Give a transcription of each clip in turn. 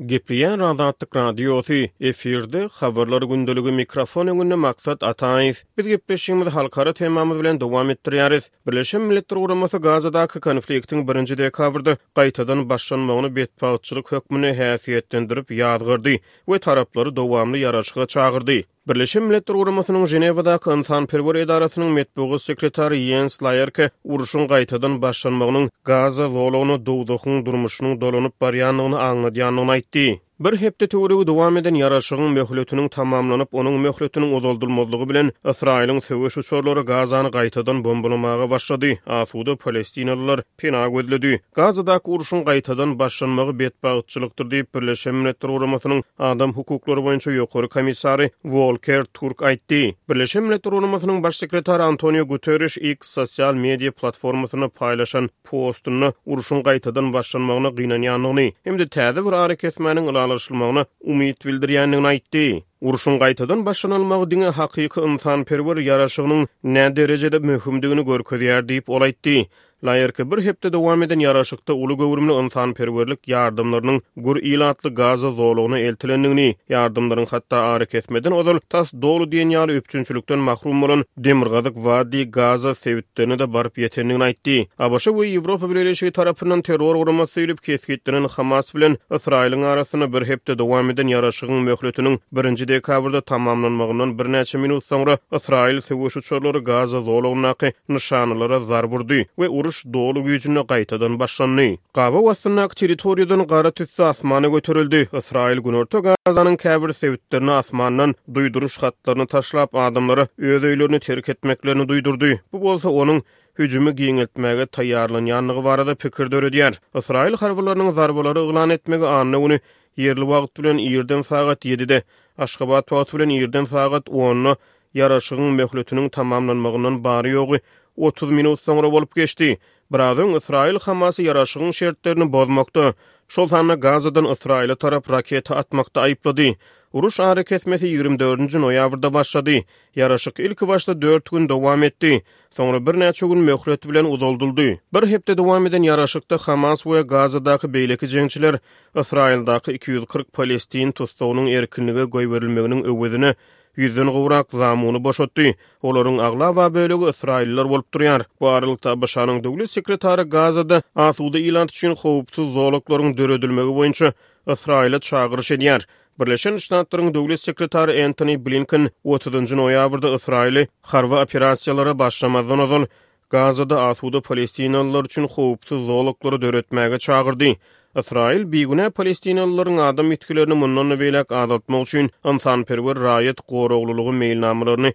Gepleýär Azatlyk Radiosy, efirde Habarlar gündeligi mikrofon öňünde Maksat Ataýew. Biz gepleşigimizi halkara temamyz bilen dowam etdirýäris. Birleşen Milletler Guramasy Gazadaky konfliktiň birinji dekabrda gaýtadan başlanmagyny betbagtçylyk hökmünde häsiýetlendirip ýazgardy we taraplary dowamly ýaraşyga çagyrdy. Birleşen Milletler Guramasynyň Ženewadaky ynsanperwer edarasynyň metbugat sekretary Ýens Laerke urşuň gaýtadan başlanmagynyň Gaza zolagyna dowzahyň durmuşynyň dolanyp barýandygyny aňladýandygyny aýtdy. Bir hepde töweregi dowam eden ýaraşygyň möhletiniň tamamlanyp, onuň möhletiniň uzaldylmazlygy bilen, Ysraýylyň söweş uçarlary Gazany gaýtadan bombalamaga başlady, asuda palestinalylar pena gözledi. Gazadaky urşuň gaýtadan başlanmagy betbagtçylykdyr diýip, Birleşen Milletler Guramasynyň Adam hukuklary boýunça ýokary komissary Wolker Türk aýtdy. Birleşen Milletler Guramasynyň Baş sekretary Antonio Guterriş X sosial media platformasynda paýlaşan postunda urşuň gaýtadan başlanmagyna gynanýandygyny hem-de täze bir arakesmäniň ylalaşylmagyna umyt bildirýändigini aýtdy. Urşuň gaýtadan başlanylmagy diňe hakyky ynsanperwer ýaraşygynyň näderejede möhümdigini görkezýär diýip, ol aýtdy. Laerke bir hepde dowam eden ýaraşykda uly göwrümli ynsanperwerlik ýardamlarynyň gür ilatly Gaza zolagyna eltilendigini, ýardamlaryň hatda arakesmeden ozal tas doly diýen ýaly üpjünçilikden mahrum bolan demirgazyk Wadi Gaza sebitlerine-de baryp ýetendigini aýtdy. ABŞ we Ýewropa Bileleşigi tarapyndan terror guramasy diýlip kesgitlenen Hamas bilen Ysraýylyň arasynda bir hepde dowam eden ýaraşygyň möhletiniň birinji dekabrda tamamlanmagyndan birnäçe minut soňra Ysraýyl söweş uçarlary Gaza zolagyndaky nyşanalara zarb urdy we uruş doly güýjünde gaýtadan başlandy. Gabaw astyndaky territoriýadan gara tüsse asmana göterildi. Ysraýyl Günorta Gazanyň käbir sebitlerine asmandan duýduryş hatlaryny taşlap, adamlara öz öýlerini terk etmeklerini duýdurdy. Bu bolsa onuň hüjümi giňeltmäge taýýarlanýandygy barada pikir döredýär. Ysraýyl harbylarynyň zarbalary yglan etmegi anna güni ýerli wagt bilen irden sagat ýedide, Aşgabat wagty bilen irden sagat onda Ýaraşygyň möhletiniň tamamlanmagyndan bary-ýogy 30 minut soňra bolup geçdi. Biraz öň Ysraýyl Hamasy ýaraşygyň şertlerini bozmakda, şol sanda Gazadan Ysraýyla tarap raketa atmakda aýyplady. Uruş arakesmesi 24-nji noýabrda başlady. Ýaraşyk ilkibaşda dört gün dowam etdi. Soňra birnäçe gün möhlet bilen uzaldyldy. Bir hepde dowam eden ýaraşykda Hamas we Gazadaky beýleki jeňçiler Ysraýyldaky 240 palestin tussagynyň erkinlige goýberilmeginiň öwezine Ýüzden gowrak zamuny boşatdy. Olaryň aglaba bölegi ysraýyllylar bolup durýar. Bu aralykda ABŞ-nyň döwlet sekretary Gazada asuda ilat üçin howpsuz zolaklaryň döredilmegi boýunça Ysraýyla çagyryş edýär. Birleşen Ştatlaryň döwlet sekretary Entoni Blinken otuzynjy noýabrda Ysraýyly harby operasiýalara başlamazdan ozal Gazada asuda palestinalylar üçin howpsuz zolaklary döretmäge çagyrdy. Ysraýyl bigünä palestinalylaryň adam ýitgilerini mundan-da beýläk azaltmak üçin ynsanperwer raýat goraglylygy meýilnamalaryny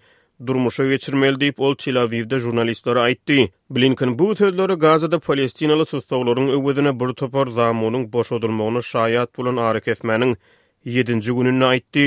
durmuşa geçirmeli diýip, ol Tel-Awiwde žurnalistlere aýtdy. Blinken bu sözleri Gazada palestinaly tussaglaryň öwezine bir topar zamunyň boşadylmagyna şaýat bolan arakesmäniň ýedinji gününde aýtdy.